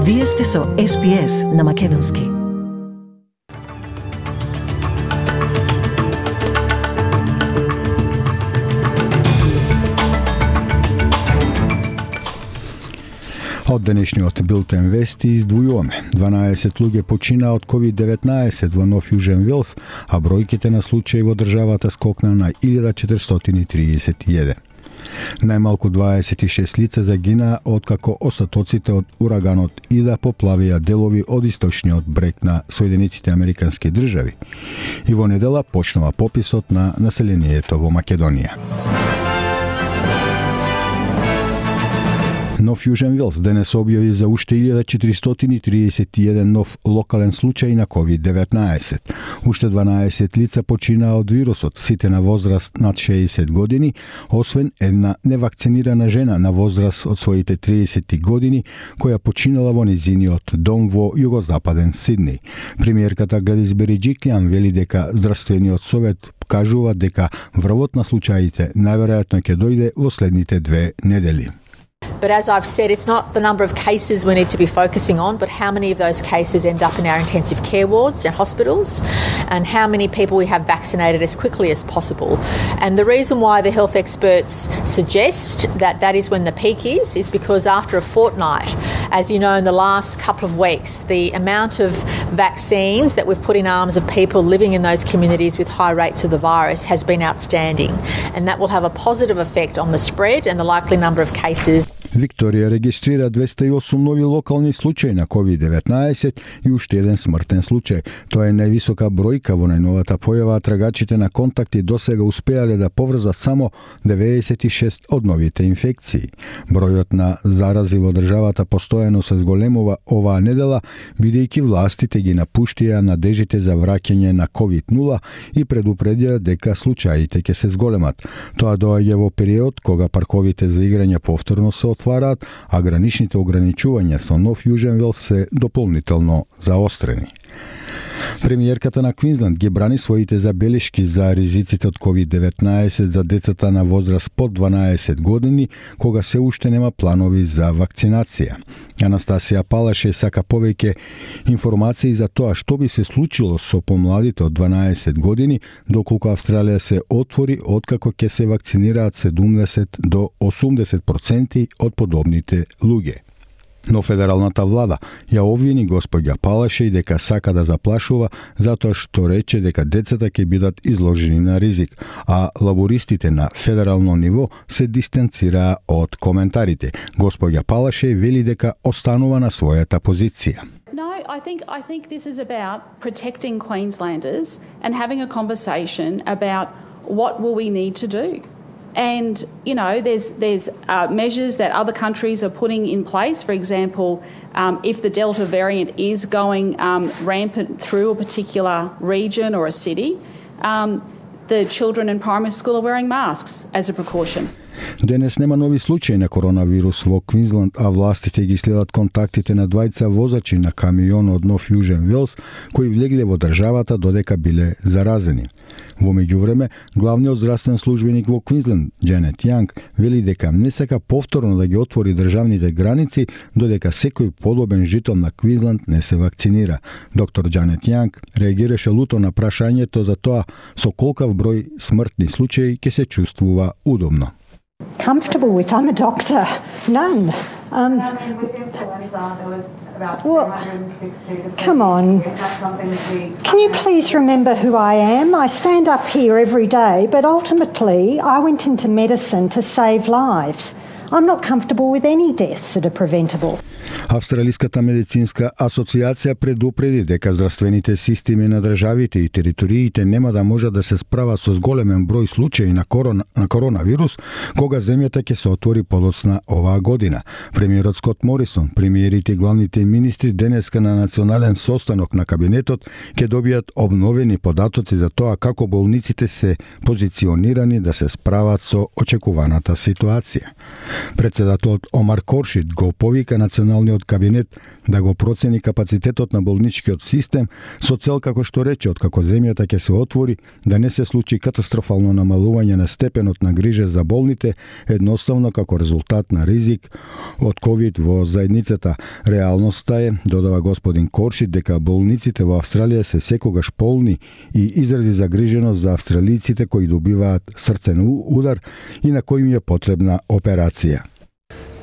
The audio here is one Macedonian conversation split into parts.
Вие сте со SPS на Македонски. Од денешниот билтен вести издвојуваме. 12 луѓе почина од COVID-19 во Нов Јужен Велс, а бројките на случаи во државата скокна на 1431. Најмалку 26 лица загинаа откако остатоците од ураганот Ида поплавија делови од источниот брег на Соединетите Американски држави. И во недела почнува пописот на населението во Македонија. Нов Јужен Велс денес објави за уште 1431 нов локален случај на COVID-19. Уште 12 лица починаа од вирусот, сите на возраст над 60 години, освен една невакцинирана жена на возраст од своите 30 години, која починала во незиниот дом во југозападен Сидни. Премиерката Гледис Бериџиклјан вели дека здравствениот совет кажува дека врвот на случаите најверојатно ќе дојде во следните 2 недели. But as I've said, it's not the number of cases we need to be focusing on, but how many of those cases end up in our intensive care wards and hospitals, and how many people we have vaccinated as quickly as possible. And the reason why the health experts suggest that that is when the peak is because after a fortnight, as you know, in the last couple of weeks, the amount of vaccines that we've put in arms of people living in those communities with high rates of the virus has been outstanding. And that will have a positive effect on the spread and the likely number of cases. Викторија регистрира 208 нови локални случаи на COVID-19 и уште еден смртен случај. Тоа е највисока бројка во најновата појава, а трагачите на контакти досега успеале да поврзат само 96 од новите инфекции. Бројот на зарази во државата постојано се зголемува оваа недела, бидејќи властите ги напуштија надежите за враќање на COVID-0 и предупредија дека случаите ќе се зголемат. Тоа доаѓа во период кога парковите за играње повторно се отвараат, а граничните ограничувања со Нов Јужен Велс се дополнително заострени. Премиерката на Квинсленд ги брани своите забелешки за ризиците од COVID-19 за децата на возраст под 12 години, кога се уште нема планови за вакцинација. Анастасија Палаше сака повеќе информации за тоа што би се случило со помладите од 12 години, доколку Австралија се отвори откако ќе се вакцинираат 70 до 80% од подобните луѓе. Но федералната влада ја обвини господја Палаше и дека сака да заплашува затоа што рече дека децата ќе бидат изложени на ризик, а лабористите на федерално ниво се дистанцираа од коментарите. Господја Палаше вели дека останува на својата позиција. No, I think this is about protecting Queenslanders and having a conversation about what will we need to do. And, you know, there's measures that other countries are putting in place. For example, if the Delta variant is going rampant through a particular region or a city, the children in primary school are wearing masks as a precaution. Денес нема нови случаи на коронавирус во Квинсленд, а властите ги следат контактите на двајца возачи на камион од Нов Јужен Велс кои влегле во државата додека биле заразени. Во меѓувреме, главниот здравствен службеник во Квинсленд, Џанет Јанг, вели дека не сака повторно да ги отвори државните граници додека секој подобен жител на Квинсленд не се вакцинира. Доктор Џанет Јанг реагираше луто на прашањето за тоа со колкав број смртни случаи ќе се чувствува удобно. Comfortable with. I'm a doctor. None. Well, come on. Can you please remember who I am? I stand up here every day, but ultimately I went into medicine to save lives. I'm not comfortable with any deaths that are preventable. Австралиската медицинска асоциација предупреди дека здравствените системи на државите и териториите нема да можат да се справат со зголемен број случаи на коронавирус кога земјата ќе се отвори подоцна оваа година. Премиерот Скот Морисон, премиерите и главните министри денеска на национален состанок на кабинетот ќе добијат обновени податоци за тоа како болниците се позиционирани да се справат со очекуваната ситуација. Председателот Омар Коршид го повика национален Националниот кабинет да го процени капацитетот на болничкиот систем со цел, како што рече, откако земјата ќе се отвори, да не се случи катастрофално намалување на степенот на грижа за болните, едноставно како резултат на ризик од ковид во заедницата. Реалноста е, додава господин Коршит, дека болниците во Австралија се секогаш полни и изрази загриженост за австралиците кои добиваат срцен удар и на кои им е потребна операција.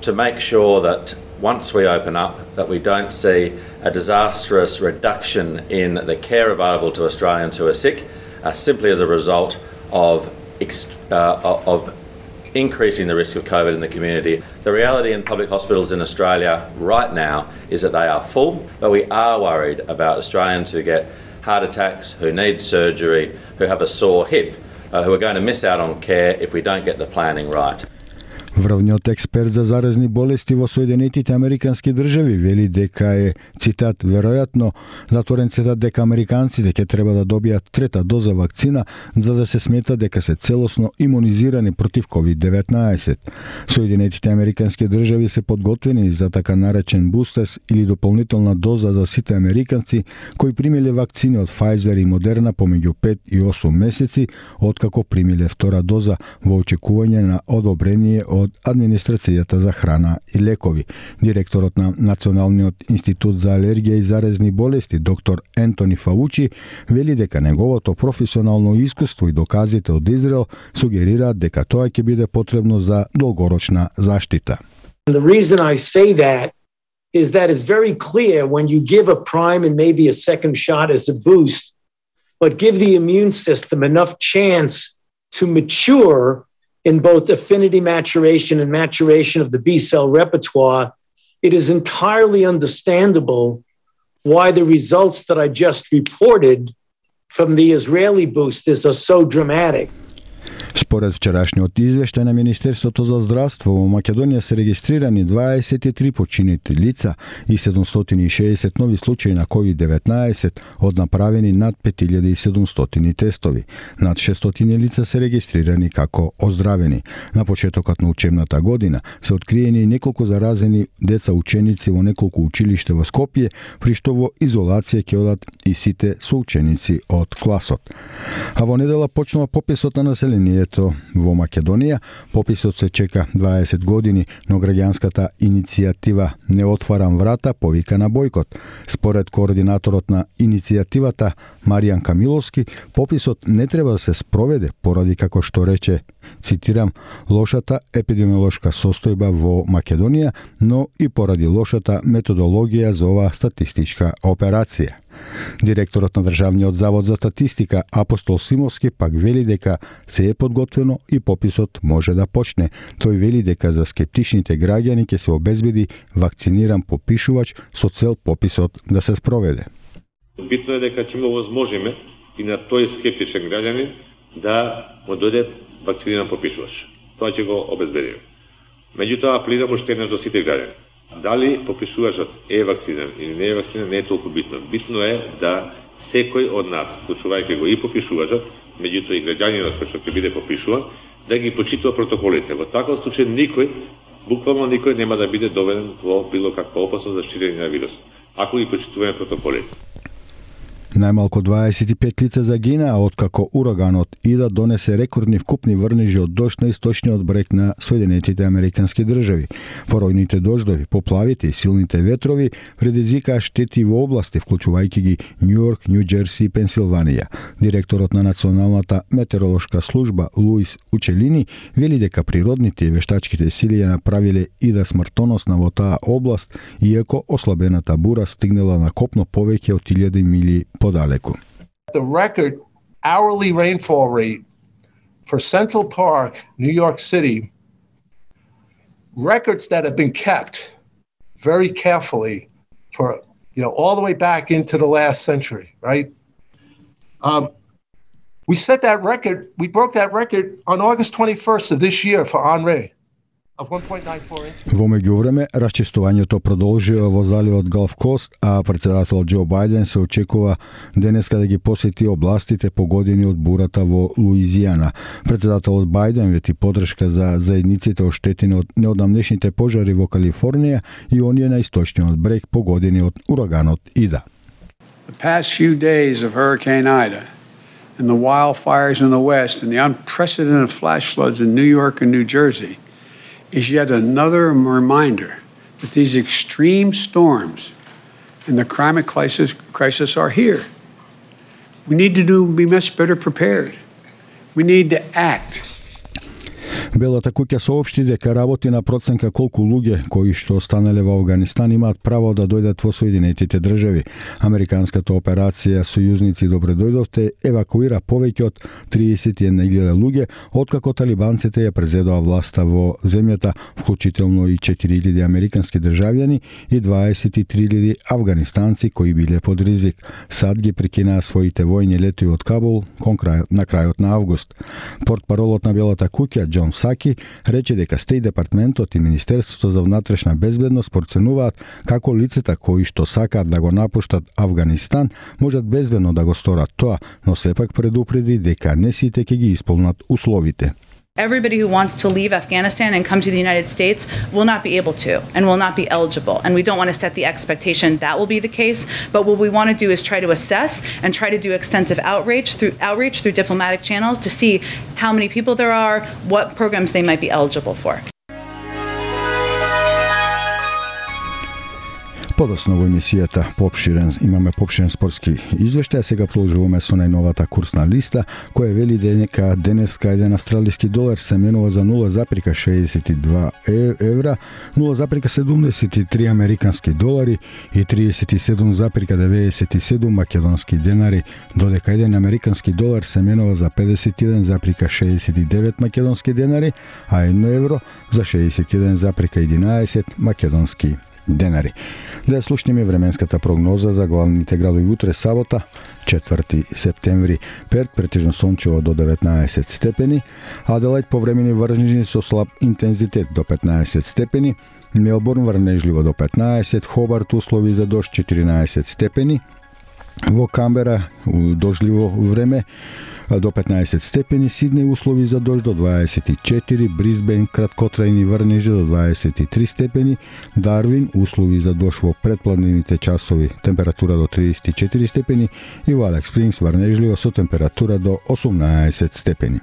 To make sure that once we open up that we don't see a disastrous reduction in the care available to Australians who are sick simply as a result of increasing the risk of COVID in the community. The reality in public hospitals in Australia right now is that they are full, but we are worried about Australians who get heart attacks, who need surgery, who have a sore hip, who are going to miss out on care if we don't get the planning right. Врвниот експерт за заразни болести во Соединетите Американски држави вели дека е, цитат, веројатно затворен цитат дека американците ќе треба да добијат трета доза вакцина за да се смета дека се целосно имунизирани против COVID-19. Соединетите Американски држави се подготвени за така наречен бустерс или дополнителна доза за сите американци кои примиле вакцини од Pfizer и Moderna помеѓу 5 и 8 месеци откако примиле втора доза во очекување на одобрение од Администрацијата за храна и лекови. Директорот на Националниот институт за алергија и заразни болести, доктор Ентони Фаучи, вели дека неговото професионално искуство и доказите од Израел сугерираат дека тоа ќе биде потребно за долгорочна заштита. The reason I say that is that it's very clear when you give a prime and maybe a second shot as a boost, but give the immune system enough chance to mature in both affinity maturation and maturation of the B-cell repertoire, it is entirely understandable why the results that I just reported from the Israeli boosters are so dramatic. Според вчерашниот извештај на Министерството за здравство, во Македонија се регистрирани 23 починети лица и 760 нови случаи на COVID-19 од направени над 5700 тестови. Над 600 лица се регистрирани како оздравени. На почетокот на учебната година се откриени неколку заразени деца ученици во неколку училишта во Скопје, при што во изолација ќе одат и сите соученици од класот. А во недела почнува пописот на населението во Македонија. Пописот се чека 20 години, но граѓанската иницијатива Не отварам врата повика на бојкот. Според координаторот на иницијативата Маријан Камиловски, пописот не треба да се спроведе поради, како што рече, цитирам, лошата епидемиолошка состојба во Македонија, но и поради лошата методологија за оваа статистичка операција. Директорот на Државниот завод за статистика Апостол Симовски пак вели дека се е подготвено и пописот може да почне. Тој вели дека за скептичните граѓани ќе се обезбеди вакциниран попишувач со цел пописот да се спроведе. Битно е дека ќе му возможиме и на тој скептичен граѓанин да му дојде вакциниран попишувач. Тоа ќе го обезбедиме. Меѓутоа апелирам уште еднаш до сите граѓани. Дали попишувачот е вакциниран или не е вакциниран не е толку битно. Битно е да секој од нас, вклучувајќи го и попишувачот, меѓутоа и граѓанинот кој што ќе биде попишуван, да ги почитува протоколите. Во таков случај никој, буквално никој нема да биде доведен во било каква опасност за ширење на вирус, ако ги почитуваме протоколите. Најмалку 25 лица загинаа откако ураганот Ида донесе рекордни вкупни врнежи од дожд на источниот брег на Соединетите Американски држави. Поројните дождови, поплавите и силните ветрови предизвикаа штети во области, вклучувајќи ги Њујорк, Њу-Џерси и Пенсилванија. Директорот на Националната метеоролошка служба Луис Учелини вели дека природните и вештачките сили ја направиле Ида смртоносна во таа област, иако ослабената бура стигнала на копно повеќе од 1000 мили подалеку. The record hourly rainfall rate for Central Park, New York City, records that have been kept very carefully for, all the way back into the last century, right? We broke that record on August 21st of this year for Henri. of 1.94 inches. Во меѓувреме, расчистувањето продолжува во заливот Галф Кост, а председател Џо Бајден се очекува денеска да ги посети областите погодени од бурата во Луизијана. Председателот Бајден вети подршка за заедниците оштетени од неодамнешните пожари во Калифорнија и оние на источниот брег погодени од ураганот Ида. The past few days of Hurricane Ida and the wildfires in the West and the unprecedented flash floods in New York and New Jersey is yet another reminder that these extreme storms and the climate crisis are here. We need to be much better prepared. We need to act. Белата куќа соопшти дека работи на проценка колку луѓе кои што останале во Авганистан имаат право да дојдат во Соединетите држави. Американската операција Сојузници добре дојдовте евакуира повеќе од 31.000 луѓе откако талибанците ја презедоа власта во земјата, вклучително и 4.000 американски државјани и 23.000 афганистанци кои биле под ризик. САД ги прекинаа своите војни летови од Кабул на крајот на август. Портпаролот на Белата куќа Џон Псаки рече дека Стејт департментот и Министерството за внатрешна безбедност проценуваат како лицата кои што сакаат да го напуштат Авганистан можат безбедно да го сторат тоа, но сепак предупреди дека не сите ќе ги исполнат условите. Everybody who wants to leave Afghanistan and come to the United States will not be able to and will not be eligible. And we don't want to set the expectation that will be the case. But what we want to do is try to assess and try to do extensive outreach through diplomatic channels to see how many people there are, what programs they might be eligible for. Подоцна во емисијата имаме попширен спортски извештај, сега продолжуваме со најновата курсна листа, која вели дека денеска еден австралиски долар се менува за 0,62 евра, 0,73 американски долари и 37,97 македонски денари, додека еден американски долар се менува за 51,69 македонски денари, а 1 евро за 61,11 македонски денари. Да слушнеме временската прогноза за главните градови утре сабота, 4 септември. Перт претежно сончево до 19 степени, Аделајд повремени врнежни со слаб интензитет до 15 степени, Мелбурн врнежливо до 15, Хобарт услови за дожд 14 степени, во Камбера дождливо време до 15 степени, Сиднеј услови за дожд до 24, Брисбен краткотрајни врнежи до 23 степени, Дарвин услови за дожд во предпладневните часови, температура до 34 степени и во Алекс Спрингс врнежливо со температура до 18 степени.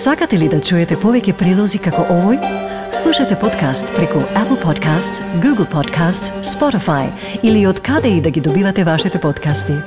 Сакате ли да чуете повеќе прилози како овој? Слушате подкаст преку Apple Podcasts, Google Podcasts, Spotify или од каде и да ги добивате вашите подкасти.